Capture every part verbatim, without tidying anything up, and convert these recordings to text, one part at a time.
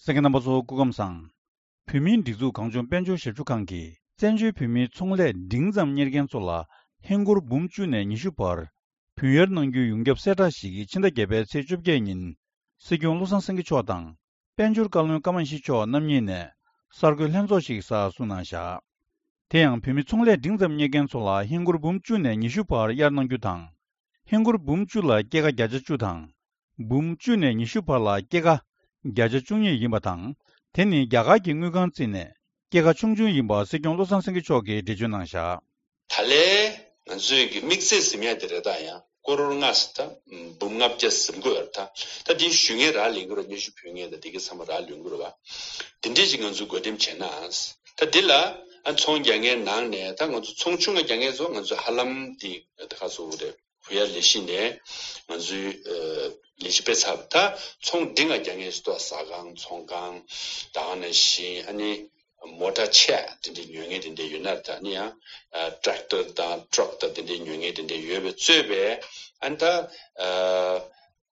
གསན་མཁན་རྣམ་པ་ཚོ་སྐུ་ཁམས་བཟང་། བོད་མིའི་སྒྲིག་འཛུགས་གངས་ལྗོངས་དཔལ་འབྱོར་ཞབས་ཞུ་ཁང་གིས་བཙན་བྱོལ་བོད་མིའི་ཚོང་ལས་འབྲིང་ཙམ་གཉེར་མཁན་ཚོ་ལ་ཧིན་སྒོར་འབུམ་བཅུ་ནས་ཉི་ཤུ་བར་བུན་གཡར་གནང་རྒྱུའི་ཡོངས་ཁྱབ་གསལ་བསྒྲགས་ཤིག་ཕྱི་ཟླ་བརྒྱད་པའི་ཚེས་བཅོ་བརྒྱད་ཉིན་སྲིད་སྐྱོང་བློ་བཟང་སེང་གེ་མཆོག་དང་། དཔལ་འབྱོར་བཀའ་བློན་ཀརྨ་ཡེ་ཤེས་མཆོག་རྣམ་གཉིས་ནས་གསར་འགོད་ལྷན་ཚོགས་ཤིག་གསར་བཟོ་གནང་བཞག་དེ་ཡང་བོད་མི་ཚོང་ལས་འབྲིང་ཙམ་གཉེར་མཁན་ཚོ་ལ་ཧིན་སྒོར་འབུམ་བཅུ་ནས་ཉི་ཤུ་བར་གཡར་གནང་རྒྱུ་དང་། ཧིན་སྒོར་འབུམ་བཅུ་ལ་སྐྱེད་ཀ་བརྒྱ་ཆ་བཅུ་དང་། འབུམ་བཅུ་ནས་ཉི་ཤུ་བར་ལ་སྐྱེད་ཀ་བརྒྱ་ཆ་བཅུ་གཉིས་ཡིན་པ་དང་། དེ་ནི་རྒྱ་གར་གྱི་དངུལ་ཁང་བརྩིས་ནས་སྐྱེད་ཀ་ཆུང་ཆུང་ཡིན་པ་སྲིད་སྐྱོང་བློ་བཟང་སེང་གེ་མཆོག་གིས་འགྲེལ་བརྗོད་གནང་བཞག་ད་ལན་ང་ཚོས་ཀྱི་དམིགས་བརྩེ་ཟིན་ཡ་དེ་རེད། ད་ཡང་ཀོ་རོར་ལྔ་ཟེར་ད་འབུམ་ལྔ་བརྒྱ་ཟིན་དགོས་རེད། ད་ད་དེ་ཞུ་མཁན་རག་ལས་ཀྱི་རེད། སྙན་ཞུ་ཕུལ་མཁན་དང་དེ་གའི་ཚང་མ་རག་ལས་ཀྱི་རེད་བ། དེ་འདྲས་ཅིག་ང་ཚོས་བགོ་འགྲེམས་བྱས་ན། ད་འདི་ལ་ཨ་ཚོང་རྒྱག་མཁན་ནང་ནས་ད་ང་ཚོ་ཚོང་ཆུང་ང་རྒྱག་མཁན་ཚོ་ང་ཚོས་ཧ་ལམ་དེ་ད་ག་ཚོད་རེད། བུ་ཡ་ལས་གཞི་ནས་ང་ཚོའི་ཨ་ལས་གཞི་སྤེལ་ཚར་བ། ད་ཚོང་འབྲིང་ང་རྒྱག་མཁན་ཞིག་ཏུ་ཟ་ཁང་ཚོང་ཁང་ད་ག་ནང་བཞིན་ཨ་ནི་མོ་ཊ་ཆེ་དེ་འདྲའི་ཉོ་མཁན་དེ་འདྲ་ཡོད་ན། ད་ནི་ཡང་ཨ་ཊེག་ཊར་དང་ཊྲག་དང་དེ་འདྲའི་ཉོ་མཁན་དེ་འདྲ་ཡོད་པའི་གཙོས་པའི་ཨ་ནི་ད་ཨ་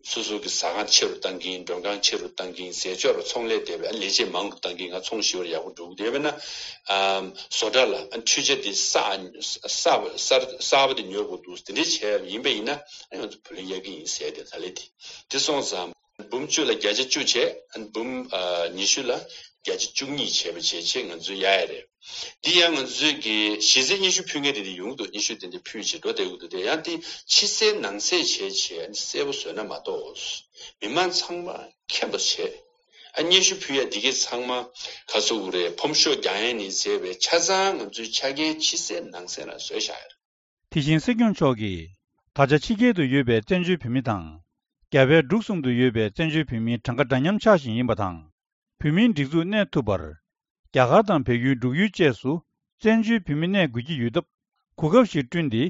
སོ་སོ་གི་ཟ་ཁང་ཆེ་རུ་བཏང་གིན། མགྲོན་ཁང་ཆེ་རུ་བཏང་གིན། ཟས་སྤྱོད་རུ་ཚོང་ལས་དེ་བས་ལས་བྱེད་མང་རུ་བཏང་གིན། ང་ཚོང་ཞི་བར་ཡག་པོ་འགྲོ་གི་དེ་བས་ན་ཨ་བཟོ་གྲྭ་ལ་ཨ་འཕྲུལ་ཆས་དེ་གསར་གསར་གསར་གསར་པ་དེ་ཉོ་དགོས་འདུག་དེ་འདྲའི་བྱས་ཡིན་པ་ཡིན་ན་ཨ་ང་ཚོ་བུ་ལོན་གཡར་གི་ཡིན་ཟེར་དེ། ད་ལས་དེ་དེ་སོང་ཙང་འབུམ་བཅུ་ལ་བརྒྱ་ཆ་བཅུ་བྱས། ཨ་འབུམ་ཨ་ཉི་ཤུ་ལ་བརྒྱ་ཆ་བཅུ་གཉིས་བྱས་པ་བྱས་བྱས་ང་ཚོས་གཡར་ཡ་རེད། འདི་ཡང་ང་ཚོས་ཀྱི་གཞི་རྩའི་སྙན་ཞུ་ཕུལ་མཁན་དེ་འདྲ་ཡོང་གི་འདུག་སྙན་ཞུ་དེ་འདྲ་ཕུལ་བྱས་འགྲོ་བསྡད་ཀྱི་འདུག་དེ་ཡང་དེ་ཕྱི་གསལ་ནང་གསལ་བྱས་བྱས་ཨ་ནི་གསལ་པོ་བཟོས་ན་མ་གཏོགས། མི་མང་ཚང་མ་མཁྱེན་པ་བྱས། ཨ་སྙན་ཞུ་ཕུལ་ཡ་འདི་གས་ཚང་མ་ག་ཚོད་རེད། ཕོམ་ཤོག་རྒྱག་ཡ་ནས་བྱས་པའི་ཆ་ཚང་ང་ཚོའི་ཆ་རྐྱེན་ཕྱི་གསལ་ནང་གསལ་ལ་བཟོས་བཞག་ཡོད། དེ་བཞིན་སྲིད་སྐྱོང་མཆོག་གིས། ད་ཆ་ཕྱི་རྒྱལ་དུ་ཡོད་པའི་བཙན་བྱོལ་བོད་མི་དང་། རྒྱ་བལ་འབྲུག་གསུམ་དུ་ཡོད་པའི་བཙན་བྱོལ་བོད་མིའི་གྲངས་ཀ་འདྲ་མཉམ་ཆགས་བཞིན་ཡིན་པ་དང་། བོད་མིའི་སྒྲིག་འཛུགས་གནས་ཐུབ་པར། རྒྱ་གར་དང་བལ་ཡུལ་འབྲུག་ཡུལ་བཅས་སུ་བཙན་བྱོལ་བོད་མི་གནས་དགོས་ཀྱི་ཡོད་སྟབས། གོ་སྐབས་ཤིག་བསྐྲུན་ཏེ།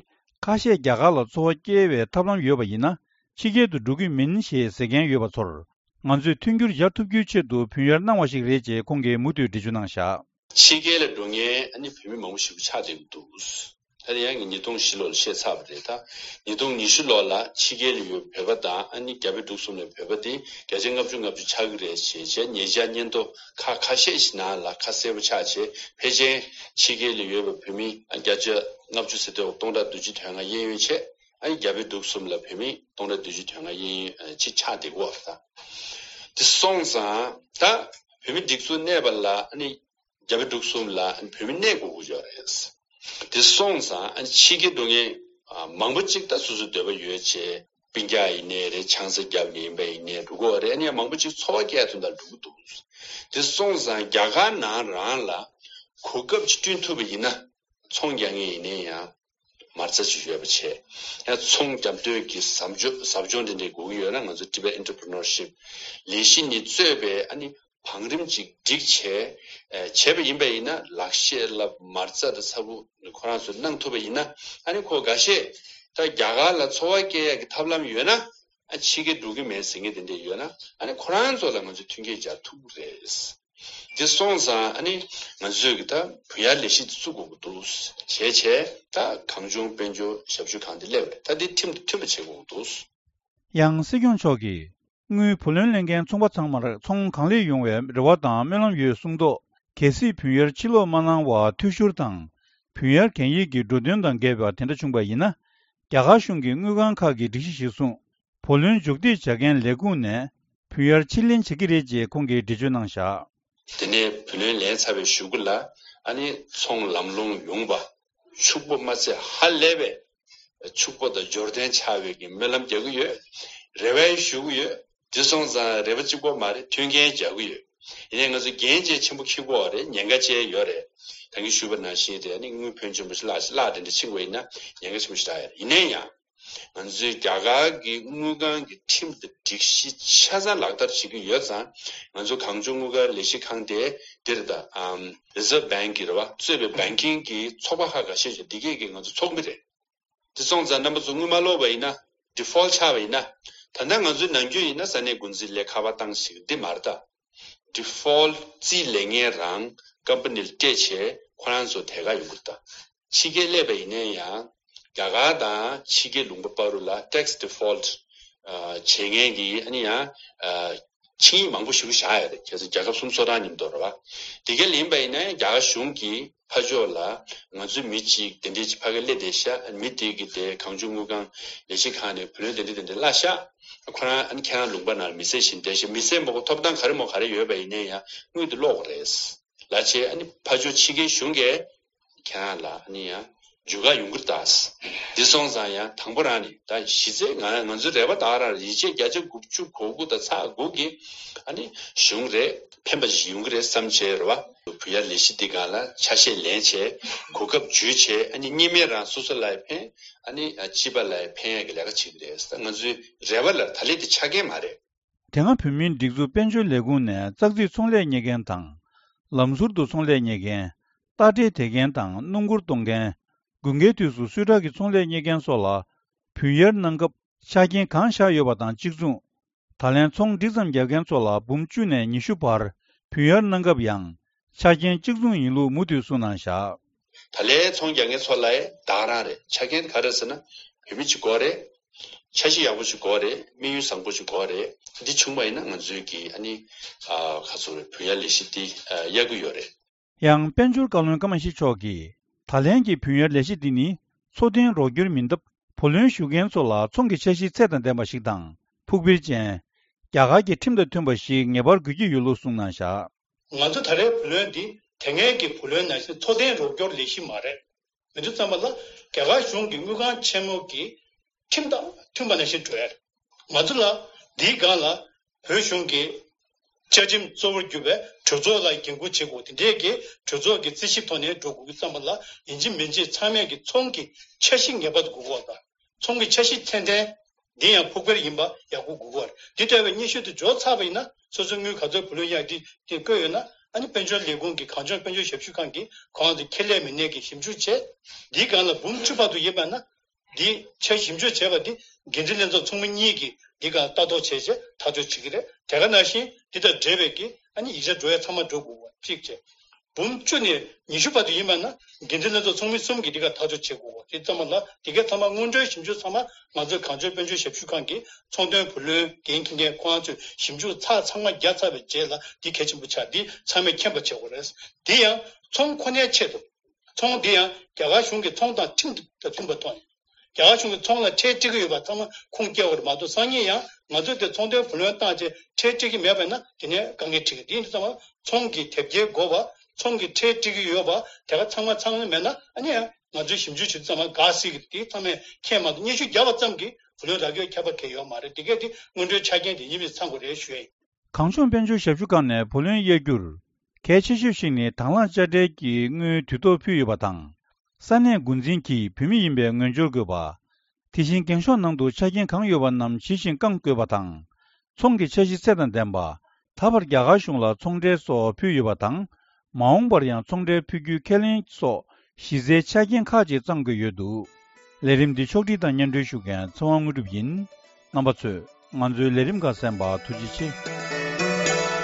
ཁ་ཤས་རྒྱ་གར་ལ་འཚོ་བ་སྐྱེལ་བའི་ཐབས་ལམ་ཡོད་པ་ཡིན་ན། ཕྱི་རྒྱལ་དུ་འགྲོ་གི་མིན་ཞེས་ཟེར་མཁན་ཡོད་པ་ཚོར། ང་ཚོས་མཐུན་འགྱུར་སྦྱར་ཐུབ་རྒྱུའི་ཆེད་དུ་བུན་གཡར་གནང་བ་ཞིག་རེད་ཅེས་ཁོང་གིས་མུ་མཐུད་འགྲེལ་བརྗོད་གནང་བཞག་ཕྱི་རྒྱལ་ལ་འགྲོ་མཁན་ཨ་ནི་བོད་མི་མང་པོ་ཞིག་ཆགས་བསྡད་ཀྱི་འདུག་ད་དེ་ཡང་གི་ཉིས་སྟོང་བཞི་ལོར་བཤད་ཚར་བ་རེད། ད་ཉིས་སྟོང་ཉི་ཤུ་ལོ་ལ་ཕྱི་རྒྱལ་ལ་ཡོད་བོད་པ་དང་ཨ་ནི་རྒྱ་བལ་འབྲུག་གསུམ་ལ་བོད་པ་དེ་བརྒྱ་ཆ་ལྔ་བཅུ་ལྔ་བཅུ་ཆགས་ཀྱི་རེད་ཞེས་བྱས་ཉེ་ཆར་སྙན་ཐོ་ཁ་ཁ་ཤས་ཤིག་ནང་ལ་ཁ་གསལ་པོ་ཆགས་བྱས། ཕལ་ཆེར་ཕྱི་རྒྱལ་ལ་ཡོད་པའི་བོད་མི་བརྒྱ་ཆ་ལྔ་བཅུ་ཟེར་དུས་སྟོང་ཕྲག་བདུན་ཅུ་དོན་ལྔ་གཡས་གཡོན་བྱས། ཨ་ནི་རྒྱ་བལ་འབྲུག་གསུམ་ལ་བོད་མི་སྟོང་ཕྲག་བདུན་ཅུ་དོན་ལྔ་གཡས་གཡོན་ཅིག་ཆགས་བསྡད་ཀྱི་ཡོད་རེད། ད་དེ་སོང་ཙང་ད་བོད་མི་སྒྲིག་འཛུགས་གནས་པ་ལ་ཨ་ནི། རྒྱ་བལ་འབྲུག་གསུམ་ལ་བོད་མི་གནས་དགོས་ཀྱི་ཡོད་རེད། དེ་སོང་ཙང་ཕྱི་རྒྱལ་འགྲོ་མཁན་མང་པོ་ཅིག་ད་སོ་སོའི་འདོད་པ་ཡོད་ཅེས་སྤུན་ཀྱག་ཡིན་ནའི་རེད། ཆང་ས་བརྒྱབ་ནས་ཡིན་པ་ཡིན་ནའི་འགྲོ་གི་ཡོད་རེད། ཨ་ནི་ཡང་མང་པོ་ཅིག་འཚོ་བ་སྐྱེལ་ཐུབ་ན་འགྲོ་གི་འདུག་དེ་སོང་ཙང་རྒྱ་གར་ནང་རང་ལ་གོ་སྐབས་ཅིག་བསྐྲུན་ཐུབ་པ་ཡིན་ན། ཚོང་རྒྱག་མཁན་ཡིན་ནའི་ཡང་མ་རྩ་ཅིག་ཡོད་པ་བྱས། ཡང་ཚོང་རྒྱག་འདོད་ཀྱི་ཟབ་སྦྱོང་ཟབ་སྦྱོང་དེ་འདྲའི་དགོས་ཀྱི་ཡོད་ན། ང་ཚོ་Tibet Entrepreneurship ལས་གཞི་ནས་གཙོས་པའི་ཨ་ནི་བང་རིམ་ཅིག་བསྒྲིགས་བྱས་ཨ་བྱས་པ་ཡིན་པ་ཡིན་ན། ལག་ཤེས་ལ་མ་རྩ་དང་ཚ་བོ་ཁོ་རང་ཚོས་གནང་ཐུབ་པ་ཡིན་ན། ཨ་ནི་ཁོ་འགའ་ཤས་ད་རྒྱ་གར་ལ་འཚོ་བ་སྐྱེལ་ཡག་གི་ཐབས་ལམ་ཡོད་ན། ཨ་ཕྱི་རྒྱལ་འགྲོ་གི་མེད་ཟེར་མཁན་དེ་འདྲ་ཡོད་ན། ཨ་ནི་ཁོ་རང་ཚོ་ལ་ང་ཚོས་མཐུན་རྐྱེན་སྦྱར་ཐུབ་ཀྱི་རེད། དེ་སོང་ཙང་ཨ་ནི་ང་ཚོས་ཀྱི་ད་བུ་ཡར་ལས་གཞི་དེ་བཙུགས་དགོས་ཀྱི་འདུག་བྱས་བྱས་ད་གངས་ལྗོངས་དཔལ་འབྱོར་ཞབས་ཞུ་ཁང་དེ་སླེབས་རེད། ད་འདི་ཁྲིམས་དང་མཐུན་པ་བྱེད་དགོས་ཀྱི་འདུག་ཡང་སྲིད་སྐྱོང་མཆོག་གིས། དངུལ་བུ་ལོན་ལེན་མཁན་ཚོང་པ་ཚང་མར་ཚོང་གང་ལེགས་ཡོང་བའི་རེ་བ་དང་སྨོན་ལམ་ཡོད་གསུངས་ཐོག་གལ་སྲིད་བུན་གཡར་ཕྱིར་སློག་མ་གནང་བར་འཐུས་ཤོར་དང་། བུན་གཡར་གན་ཡིག་གི་འགྲོ་དོན་དང་འགལ་བ་དེ་འདྲ་བྱུང་བ་ཡིན་ན། རྒྱ་གར་གཞུང་གི་དངུལ་ཁང་ཁག་གིས་སྒྲིག་གཞི་གཞིར་བཟུང་། བུ་ལོན་མཇུག་སྒྲིལ་བྱ་མཁན་ལས་ཁུངས་ནས་བུན་གཡར་ཕྱིར་ལེན་བྱེད་ཀྱི་རེད་ཅེས་ཁོང་གིས་འགྲེལ་བརྗོད་གནང་བཞག་དེ་ནས་བུ་ལོན་ལེན་ཚར་བའི་གཞུག་གུ་ལ་ཨ་ནི་ཚོང་ལམ་ལྷོང་ཡོང་བ། ཕྱུག་པོ་མ་ཚད་ཧ་ལས་པའི་ཕྱུག་པོ་དང་འབྱོར་ལྡན་ཆགས་པའི་གི་སྨོན་ལམ་རྒྱག་གི་ཡོད། རེ་བ་ཞུ་གི་ཡོད། དེ་སོང་ཙང་རེ་བ་གཅིག་པོ་མ་རེད། མཐུན་རྐྱེན་སྦྱར་གི་ཡོད། ཡིན་ནའི་ང་ཚོ་འགན་བཅས་ཆེན་པོ་འཁྱེར་དགོས་པ་རེད། ཉེན་ཁ་བཅས་ཡོད་རེད། ད་གིན་ཞུས་པ་ནང་བཞིན་རེད། ཨ་ནི་དངུལ་ཕོན་ཆེན་པོ་ཞིག་བརླག་ཞིག་བརླག་དེ་འདྲ་ཕྱིན་པ་ཡིན་ན་ཉེན་ཁ་ཆེན་པོ་ཞིག་རག་ཡ་རེད། ཡིན་ནའི་ཡང་། ང་ཚོས་རྒྱ་གར་གྱི་དངུལ་ཁང་གི་ཁྲིམས་དང་སྒྲིག་གཞི་ཆ་ཚང་ལག་བསྟར་བྱེད་ཀྱི་ཡོད་ཙང་། ང་ཚོ་གངས་ལྗོངས་དངུལ་ཁང་ལས་གཞི་ཁང་དེ་འདིར་ད་ཨམ་Reserve Bank གི་རེད་བ། གཙོས་པའི་banking གི་ཚོགས་པ་ཁག་ཁ་ཤས་ཤིག་འདི་གས་ཀྱི་ང་ཚོ་ཚོགས་མི་རེད། དེ་སོང་ཙང་རྣམ་པ་ཚོ་དངུལ་མ་སློག་པ་ཡིན་ན། default ཆགས་པ་ཡིན་ན། ད་ལྟ་ང་ཚོའི་ནམ་རྒྱུན་ཡིན་ན་ས་གནས་འགོ་འཛིན་ལས་ཁ་པར་བཏང་ཞིག་འདི་མ་རེད་ད། default རྩིས་ལེན་མཁན་རང་company ལ་སྤྲད་བྱས་ཁོ་རང་ཚོ་ཐད་ཀར་ཡོང་གི་རེད་ད། ཕྱི་རྒྱལ་སླེབས་པ་ཡིན་ན་ཡང་རྒྱ་གར་དང་ཕྱི་རྒྱལ་ལུང་པ་བར་དུ་ལ་tax default ཨ་བྱེད་མཁན་གྱི་ཨ་ནི་ཡང་ཨ་ ཆིངས་ཡིག་མང་པོ་ཞིག་བཞག་ཡོད་རེད། ཁྱེད་ཚོ་རྒྱལ་ཁབ་གསུམ་སོ་ཐར་མཉམ་དུ་རེད་བ། དེ་ག་ལ་ཡིན་པ་ཡིན་ན་རྒྱ་གར་གཞུང་གིས་ཕར་ཕྱོགས་ལ་ང་ཚོའི་མི་གཅིག་དེ་འདྲས་ཅིག་ཕ་གིར་སླེབས་བསྡད་ཤག་མི་དེ་གི་དེ་གང་བྱུང་དངུལ་ཁང་ལས་བྱེད་ཁང་ནས་བུ་ལོན་དེ་འདྲས་དེ་འདྲས་གླ་ཤག་ཁོ་རང་ཨ་ནི་ཁྱེད་རང་ལུང་པ་ནང་ལ་མི་སེར་བཞིན་བསྡད་ཤག་མི་སེར་མང་པོ་ཐོབ་ཐང་ག་རེ་མོ་ག་རེ་ཡོད་པ་ཡིན་ནའི་ཡང་དངུལ་དེ་སློག་དགོས་རེད། ལ་ཆེ་ཨ་ནི་ཕར་ཕྱོགས་ཕྱི་རྒྱལ་གཞུང་གིས་ཁྱེད་རང་ལ་ཨ་ནི་ཡང་འཇུ་ག་ཡོང་གི་རེད་ད། འདི་སོང་ཙང་ཡང་དང་པོ་རང་ནས་ད་གཞི་རྩའི་ང་ང་ཚོའི་རེ་བ་ད་རང་ཡིན་ཆད་བརྒྱ་ཆ་དགུ་བཅུ་གོ་དགུ་དང་ཚེག་དགུ་གི་ཨ་ནི་གཞུང་རེད། ཕན་པ་ཞིག་ཡོང་གི་རེད་བསམ་བྱས་རེད་བ། བུ་གཡར་ལས་གཞི་འདི་སྒང་ལ་ཆ་ཤས་ལེན་བྱས་གོ་སྐབས་འཇུས་བྱས་ཨ་ནི་གཉིས་སྨན་རང་སོ་སོ་ལ་ཡང་ཕན། ཨ་ནི་སྤྱི་པ་ལ་ཡང་ཕན་ཡག་གི་ལས་ཀ་བྱེད་ཀྱི་རེད། ད་ང་ཚོའི་རེ་བ་ལ་ད་ལན་དེ་ཆ་རྐྱེན་མ་རེད། དེ་སྔ་བོད་མིའི་སྒྲིག་འཛུགས་དཔལ་འབྱོར་ལས་ཁུངས་ནས་ཙག་ཙིག་ཚོང་ལས་གཉེར་མཁན་དང་། ལམ་ཟུར་དུ་ཚོང་ལས་གཉེར་མཁན། རྟ་དྲེལ་དེད་མཁན་དང་སྣུམ་འཁོར་གཏོང་མཁན། དགུན་ཁའི་དུས་སུ་སུས་ཊར་གྱི་ཚོང་ལས་གཉེར་མཁན་སོགས་ལ་བུན་གཡར་གནང་སྐབས་ཆ་རྐྱེན་གང་བཞག་ཡོད་པ་དང་གཅིག་མཚུངས། ད་ལན་ཚོང་འགྲིག་ཙམ་རྒྱག་མཁན་ཚོ་ལ་འབུམ་བཅུ་ནས་ཉི་ཤུ་བར་བུན་གཡར་གནང་སྐབས་ཡང་ཆ་རྐྱེན་གཅིག་མཚུངས་ཡིན་ལུགས་མུ་མཐུད་གསུངས་གནང་བཞག་ད་ལན་ཚོང་རྒྱག་མཁན་ཚོ་ལ་ད་ག་རང་རེད། ཆ་རྐྱེན་ག་རེ་ཟེར་ན་བོད་མི་གཅིག་དགོས་རེད། འཆར་གཞི་ཡག་པོ་ཞིག་དགོས་རེད། དམིགས་ཡུལ་བཟང་པོ་ཞིག་དགོས་རེད། འདི་བྱུང་བ་ཡིན་ན་ང་ཚོའི་གི་ཨ་ནི་ཨ་ག་ཚོད་རེད། བུན་གཡར་ལས་གཞི་འདི་ཨ་གཡར་གི་ཡོད་རེད། ཡང་དཔལ་འབྱོར་བཀའ་བློན་ཀརྨ་ཤྲི་མཆོག་གིས་ད་ལན་གྱི་བུན་གཡར་ལས་གཞི་འདི་ནི་འཚོ་རྟེན་རོགས་སྐྱོར་མིན་སྟབས་བུ་ལོན་ཞུ་མཁན་ཚོ་ལ་ཚོང་གི་འཆར་གཞི་ཚད་དང་ལྡན་པ་ཞིག་དང་ཕུགས་འཕེར་ཅན། རྒྱ་གར་གྱི་ཁྲིམས་དང་མཐུན་པ་ཞིག་ངེས་པར་དགོས་ཀྱི་ཡོད་ལུགས་གསུངས་གནང་བཞག་ང་ཚོ་ད་རེས་བུ་ལོན་འདི་དེ་སྔའི་གི་བུ་ལོན་ནང་བཞིན་འཚོ་རྟེན་རོགས་སྐྱོར་ལས་གཞི་མ་རེད། མི་འདུག་བསམ་པ་ལ་རྒྱ་གར་གཞུང་གི་དངུལ་ཁང་ཆེན་མོ་གི་ཁྲིམས་དང་མཐུན་པ་ནང་བཞིན་འགྲོ་ཡ་རེད། ང་ཚོ་ལ་འདིའི་སྒང་ལ་བོད་གཞུང་གི་བཅའ་ཁྲིམས་གཙོ་བོར་གྱུར་པའི་གྲོས་ཚོགས་ལ་འགན་འཁུར་བྱེད་དགོས། དེ་འདྲའི་གི་གྲོས་ཚོགས་ཀྱི་རྩིས་ཞིབ་ཐོག་ནས་འགྲོ་དགོས་ཀྱི་བསམ་པ་ལ་ཡིན་གཅིག་མིན་གཅིག་ཚང་མས་ཀྱི་ཚོང་གི་འཆར་གཞི་ངེས་པར་དུ་དགོས་ཀྱི་ཡོད་པ། ཚོང་གི་འཆར་གཞི་ཚད་ལྡན། འདི་ཡང་ཕུགས་འཕེར་ཡིན་པ་ཡག་པོ་དགོས་ཀྱི་ཡོད་རེད། འདི་ལྟ་བུའི་སྙན་ཞུ་དེ་འབྱོར་ཚར་བ་ཡིན་ན་སོ་སོའི་དངུལ་ག་ཚོད་བུ་ལོན་གཡར་འདི་དེ་བཀོད་ཡོད་ན་ཨ་ནི་དཔལ་འབྱོར་ལས་ཁུངས་ཀྱི་གངས་ལྗོངས་དཔལ་འབྱོར་ཞབས་ཞུ་ཁང་གིས་གོང་དུ་ཁེ་ལས་མི་སྣས་ཀྱི་ཞིབ་འཇུག་བྱས། འདིའི་སྒང་ལ་འབུམ་བཅུ་བར་དུ་ཡིན་པ་ན། འདི་ཆ་ཞིབ་འཇུག་བྱས་པ་འདི་འགན་འཛིན་ལྷན་ཚོགས་ཚོགས་མི་གཉིས་ཀྱིས་འདི་ག་ལྟ་རྟོག་བྱས་རྗེས་ཐག་གཅོད་བྱེད་ཀྱི་རེད། དེ་ག་ནང་བཞིན་འདི་དང་འབྲེལ་བའི་གི་ཨ་ནི་ཡིག་ཆ་འགྲོ་ཡ་ཚང་མ་འགྲོ་དགོས་པ་གཅིག་བྱས། འབུམ་བཅུ་ནས་ཉི་ཤུ་བར་དུ་ཡིན་པ་ན་འགན་འཛིན་ལྷན་ཚོགས་ཚོགས་མི་གསུམ་གྱིས་འདི་ག་ཐག་གཅོད་བྱེད་དགོས་པ་དེ་ཙམ་པ་ལ་འདི་གའི་ཚང་མ་སྔོན་འགྲོའི་ཞིབ་འཇུག་ཚང་མ་ང་ཚོའི་གངས་ལྗོངས་དཔལ་འབྱོར་ཞབས་ཞུ་ཁང་གིས་ཚོང་དོན་བུ་ལོན་འགན་འཁྱེར་མཁན་ཁོ་རང་ཚོས་ཞིབ་འཇུག་ཚར་ཚང་མ་བརྒྱབ་ཚར་བའི་རྗེས་ལ་འདི་གལ་ཆེན་པོ་ཆགས། འདི་ཚང་མས་མཁྱེན་པ་བྱེད་དགོས་རེད། འདི་ཡང་ཚོང་ཁོ་ནའི་ཆེད་དུ། ཚོང་འདི་ཡང་རྒྱ་གར་གཞུང་གིས་ཚོང་དང་ཁྲིམས་དང་མཐུན་པ་ཐོག་ནས། རྒྱ་གར་གཞུང་གིས་ཚོང་ལ་ཁྲལ་སྤྲད་ཀྱི་ཡོད་པ་ཚང་མ་ཁུངས་སྐྱེལ་བ་རེད་མ་གཏོགས་སང་ཉིན་ཡང་ང་ཚོས་དེ་ཚོང་དོན་བུ་ལོན་བཏང་རྗེས་ཁྲལ་སྤྲད་ཀྱི་མེད་པ་ཡིན་ན་དེ་ནས་དཀའ་ངལ་འཕྲད་ཀྱི། དེ་ཡིན་དུས་ཙམ་པ་ཚོང་གི་དེབ་སྐྱེལ་དགོས་པ། ཚོང་གི་ཁྲལ་སྤྲད་ཀྱི་ཡོད་པ་དེ་ག་ཚང་མ་ཚང་མ་མེད་ན་ཨ་ནི་ཡང་ང་ཚོས་ཞིབ་འཇུག་བྱེད་དུས་ཙམ་པ་དགའ་སྲིད་ཀྱི་དེ་ཚང་མས་མཁྱེན་མ་གཏོགས་སྙན་ཞུ་བརྒྱབ་པ་ཙམ་གྱིས་བུ་ལོན་རག་རྒྱུའི་ཁྱབ་པ་གང་ཡང་ཡོད་མ་རེད། དེ་གས་དེ་སྔོན་འགྲོའི་ཆ་རྐྱེན་དེ་ཡིན་པས་ཚང་དགོས་རེད་ཞུ་ཡ་ཡིན། གངས་ལྗོངས་དཔལ་འབྱོར་ཞབས་ཞུ་ཁང་ནས་བུ་ལོན་གཡར་རྒྱུར། གལ་ཆེ་ཤོས་ཤིག་ནི་དང་བླངས་དཔྱ་ཁྲལ་གྱི་དངུལ་དུས་ཐོག་ཕུལ་ཡོད་པ་དང་། ས་གནས་འགོ་འཛིན་གྱིས་བོད་མི་ཡིན་པའི་ངོས་སྦྱོར་དགོས་པ། དེ་བཞིན་འགེངས་ཤོག་ནང་དུ་ཆ་རྐྱེན་གང་ཡོད་པ་རྣམས་ཇི་བཞིན་བསྐང་དགོས་པ་དང་། ཚོང་གི་འཆར་གཞི་ཚད་དང་ལྡན་པ། ད་བར་རྒྱ་གར་གཞུང་ལ་ཚོང་ཁྲལ་སོགས་ཕུལ་ཡོད་པ་དང་། མ་འོངས་པར་ཡང་ཚོང་ཁྲལ་ཕུལ་རྒྱུའི་ཁས་ལེན་སོགས་གཞི་རྩའི་ཆ་རྐྱེན་ཁག་ཅིག་བརྩམ་དགོས་ཡོད་འདུག་ལས་རིམ་འདི་ཕྱོགས་སྒྲིག་དང་སྙན་སྒྲོན་ཞུ་མཁན་ཚེ་དབང་དངོས་གྲུབ་ཡིན། རྣམ་པ་ཚོས་ང་ཚོའི་ལས་རིམ་ཁག་གསན་པར་ཐུགས་རྗེ་ཆེ།